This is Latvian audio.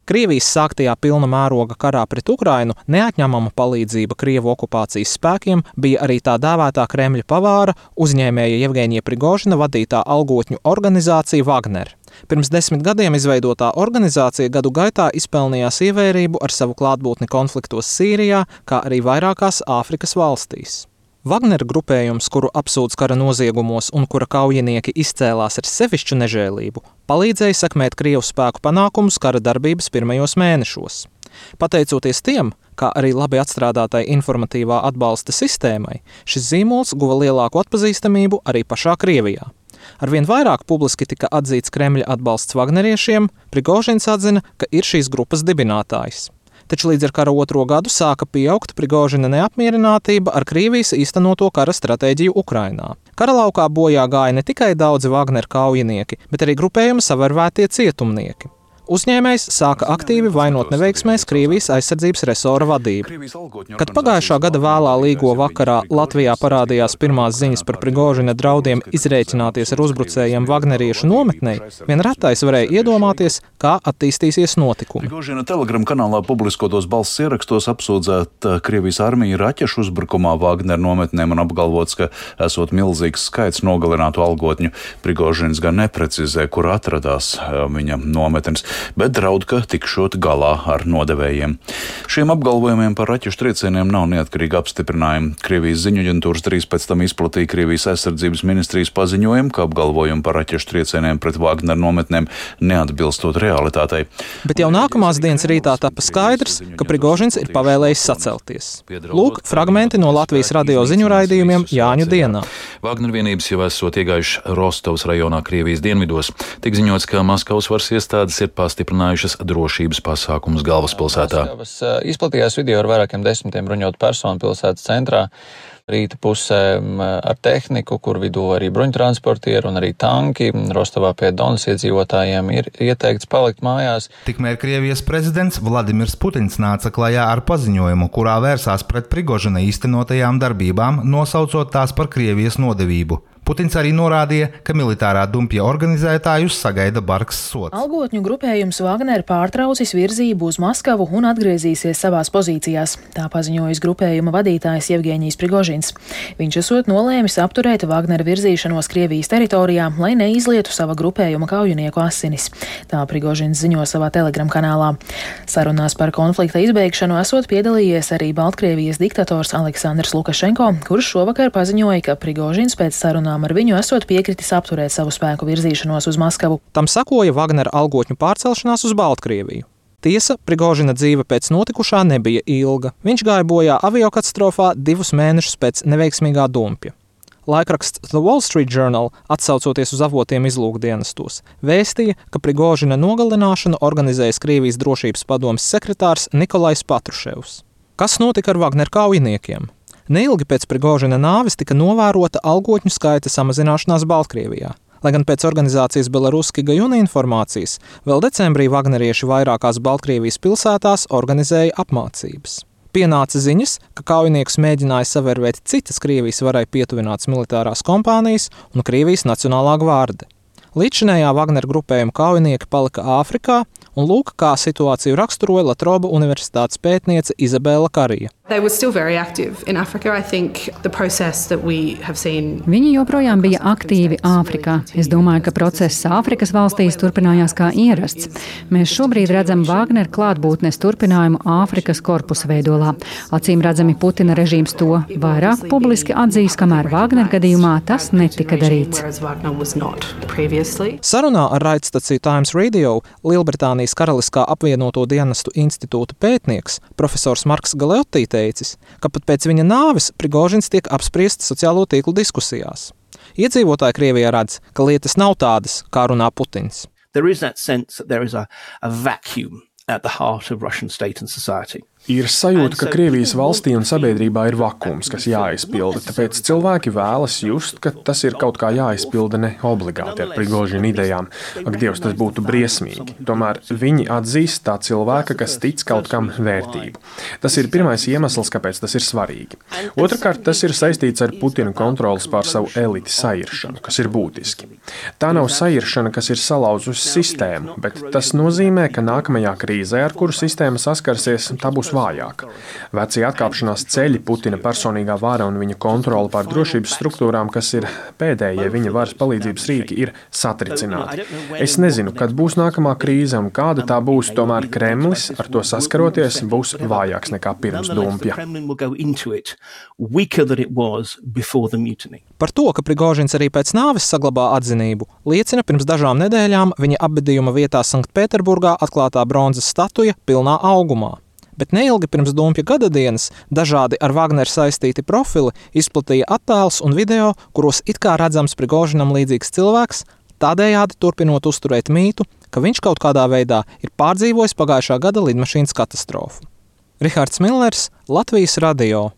Krievijas sāktajā pilna mēroga karā pret Ukrainu neatņemama palīdzība Krievu okupācijas spēkiem bija arī tā dēvētā Kremļa pavāra, uzņēmēja Jevgeņija Prigožina vadītā algotņu organizācija Wagner. Pirms 10 gadiem izveidotā organizācija gadu gaitā izpelnījās ievērību ar savu klātbūtni konfliktos Sīrijā, kā arī vairākās Āfrikas valstīs. Wagner grupējums, kuru apsūdz kara noziegumos un kura kaujinieki izcēlās ar sevišķu nežēlību, palīdzēja sekmēt Krievu spēku panākumus kara darbības pirmajos mēnešos. Pateicoties tiem, kā arī labi atstrādātai informatīvā atbalsta sistēmai, šis zīmols guva lielāku atpazīstamību arī pašā Krievijā. Arvien vairāk publiski tika atzīts Kremļa atbalsts Wagneriešiem, Prigožins atzina, ka ir šīs grupas dibinātājs. Taču līdz ar kara otro gadu sāka pieaugt Prigožina neapmierinātība ar Krievijas īstenoto kara stratēģiju Ukrainā. Kara laukā bojā gāja ne tikai daudzi Wagner kaujinieki, bet arī grupējuma savervētie cietumnieki. Uzņēmējs sāka aktīvi vainot neveiksmēs Krievijas aizsardzības resora vadību. Kad pagājušā gada vēlā līgo vakarā Latvijā parādījās pirmās ziņas par Prigožina draudiem izrēķināties ar uzbrucējiem Wagneriešu nometnei, vien retais varēja iedomāties, kā attīstīsies notikumi. Prigožina Telegram kanālā publiskotos balss ierakstos apsūdzēt Krievijas armiju raķešu uzbrukumā Wagner nometnēm un apgalvots, ka esot milzīgs skaits nogalinātu algotņu. Prigožins gan neprecizē, kur atradās viņa nometnes, bet draud, ka tikšot galā ar nodevējiem. Šiem apgalvojumiem par raķešu triecieniem nav neatkarīga apstiprinājuma. Krievijas ziņu aģentūras drīz pēc tam izplatīja Krievijas aizsardzības ministrijas paziņojumu, ka apgalvojumi par raķešu triecieniem pret Wagner nometnēm neatbilstot realitātei. Bet jau nākamās dienas rītā tapa skaidrs, ka Prigožins ir pavēlējis sacelties. Lūk, fragmenti no Latvijas radio ziņu raidījumiem Jāņu dienā. Wagner vienības jau esot iegājuši Rostovas rajonā Krievijas dienvidos. Tik ziņots, ka Maskavas varas iestādes ir pastiprinājušas drošības pasākumus galvaspilsētā. Izplatījās video ar vairākiem desmitiem bruņotu personu pilsētas centrā. Rīta pusē ar tehniku, kur vidū arī bruņtransportieri un arī tanki. Rostovā pie Donas iedzīvotājiem ir ieteikts palikt mājās. Tikmēr Krievijas prezidents Vladimirs Putins nāca klajā ar paziņojumu, kurā vērsās pret Prigožina īstenotajām darbībām, nosaucot tās par Krievijas nodevību. Putins arī norādīja, ka militārā dumpja organizētājus sagaida bargs sods. Algotņu grupējums Wagner pārtraucis virzību uz Maskavu un atgriezīsies savās pozīcijās. Tā paziņojas grupējuma vadītājs Jevgeņijs Prigožins. Viņš esot nolēmis apturēt Wagner virzīšanos Krievijas teritorijā, lai neizlietu sava grupējuma kaujinieku asinis. Tā Prigožins ziņo savā Telegram kanālā. Sarunās par konflikta izbeigšanu esot piedalījies arī Baltkrievijas diktators Aleksandrs Lukašenko, kurš šovakar paziņoja, ka Prigožins pēc sarunām ar viņu esot piekritis apturēt savu spēku virzīšanos uz Maskavu. Tam sakoja Wagner algotņu pārcelšanās uz Baltkrieviju. Tiesa, Prigožina dzīve pēc notikušā nebija ilga. Viņš gāja bojā aviokatastrofā 2 mēnešus pēc neveiksmīgā dumpja. Laikraksts The Wall Street Journal, atsaucoties uz avotiem izlūkdienestos, vēstīja, ka Prigožina nogalināšanu organizējas Krievijas drošības padomes sekretārs Nikolais Patruševs. Kas notika ar Wagner kaujiniekiem? Neilgi pēc Prigožina nāves tika novērota algotņu skaita samazināšanās Baltkrievijā. Lai gan pēc organizācijas Belaruski Gajuna informācijas, vēl decembrī Wagnerieši vairākās Baltkrievijas pilsētās organizēja apmācības. Pienāca ziņas, ka kaujiniekus mēģināja savervēt citas Krievijas varai pietuvinātas militārās kompānijas un Krievijas Nacionālā gvarde. Līdzinējā Wagner grupējuma kaujinieki palika Āfrikā, un lūk, kā situāciju raksturoja Latroba universitātes pētniece Izabela Karija. Viņi joprojām bija aktīvi Āfrikā. Es domāju, ka process Āfrikas valstīs turpinājās kā ierasts. Mēs šobrīd redzam Wagner klātbūtnes turpinājumu Āfrikas korpusa veidolā. Acīm redzami Putina režīms to vairāk publiski atzīs, kamēr Wagner gadījumā tas netika darīts. Sarunā ar raidstaciju Times Radio Lielbritānijas Karaliskā apvienoto dienestu institūta pētnieks profesors Marks Galeotti teicis, ka pat pēc viņa nāves Prigožins tiek apspriests sociālo tīklu diskusijās. Iedzīvotāji Krievijā redz, ka lietas nav tādas, kā runā Putins. Ir sajūta, ka Krievijas valstī un sabiedrībā ir vakums, kas jāizpilda, tāpēc cilvēki vēlas just, ka tas ir kaut kā jāizpilda ne obligāti ar Prigožina idejām. Ak, Dievs, tas būtu briesmīgi. Tomēr viņi atzīst tā cilvēka, kas tic kaut kam vērtību. Tas ir pirmais iemesls, kāpēc tas ir svarīgi. Otrakārt, tas ir saistīts ar Putina kontrolas pār savu eliti sairšanu, kas ir būtiski. Tā nav sairšana, kas ir salauzusi sistēmu, bet tas nozīmē, ka nākamajā krīzē, ar kuru sistēma saskarsies, tā būs vājāka. Vecie atkāpšanās ceļi, Putina personīgā vara un viņa kontrole pār drošības struktūrām, kas ir pēdējie viņa varas palīdzības rīki, ir satricināti. Es nezinu, kad būs nākamā krīze un kāda tā būs, tomēr Kremlis ar to saskaroties būs vājāks nekā pirms dumpja. Par to, ka Prigožins arī pēc nāves saglabā atzinību, liecina pirms dažām nedēļām viņa apbedījuma vietā Sanktpēterburgā atklātā bronzas statuja pilnā augumā. Bet neilgi pirms dumpja gadadienas dažādi ar Wagneru saistīti profili izplatīja attēlus un video, kuros it kā redzams Prigožinam līdzīgs cilvēks, tādējādi turpinot uzturēt mītu, ka viņš kaut kādā veidā ir pārdzīvojis pagājušā gada lidmašīnas katastrofu. Rihards Millers, Latvijas radio.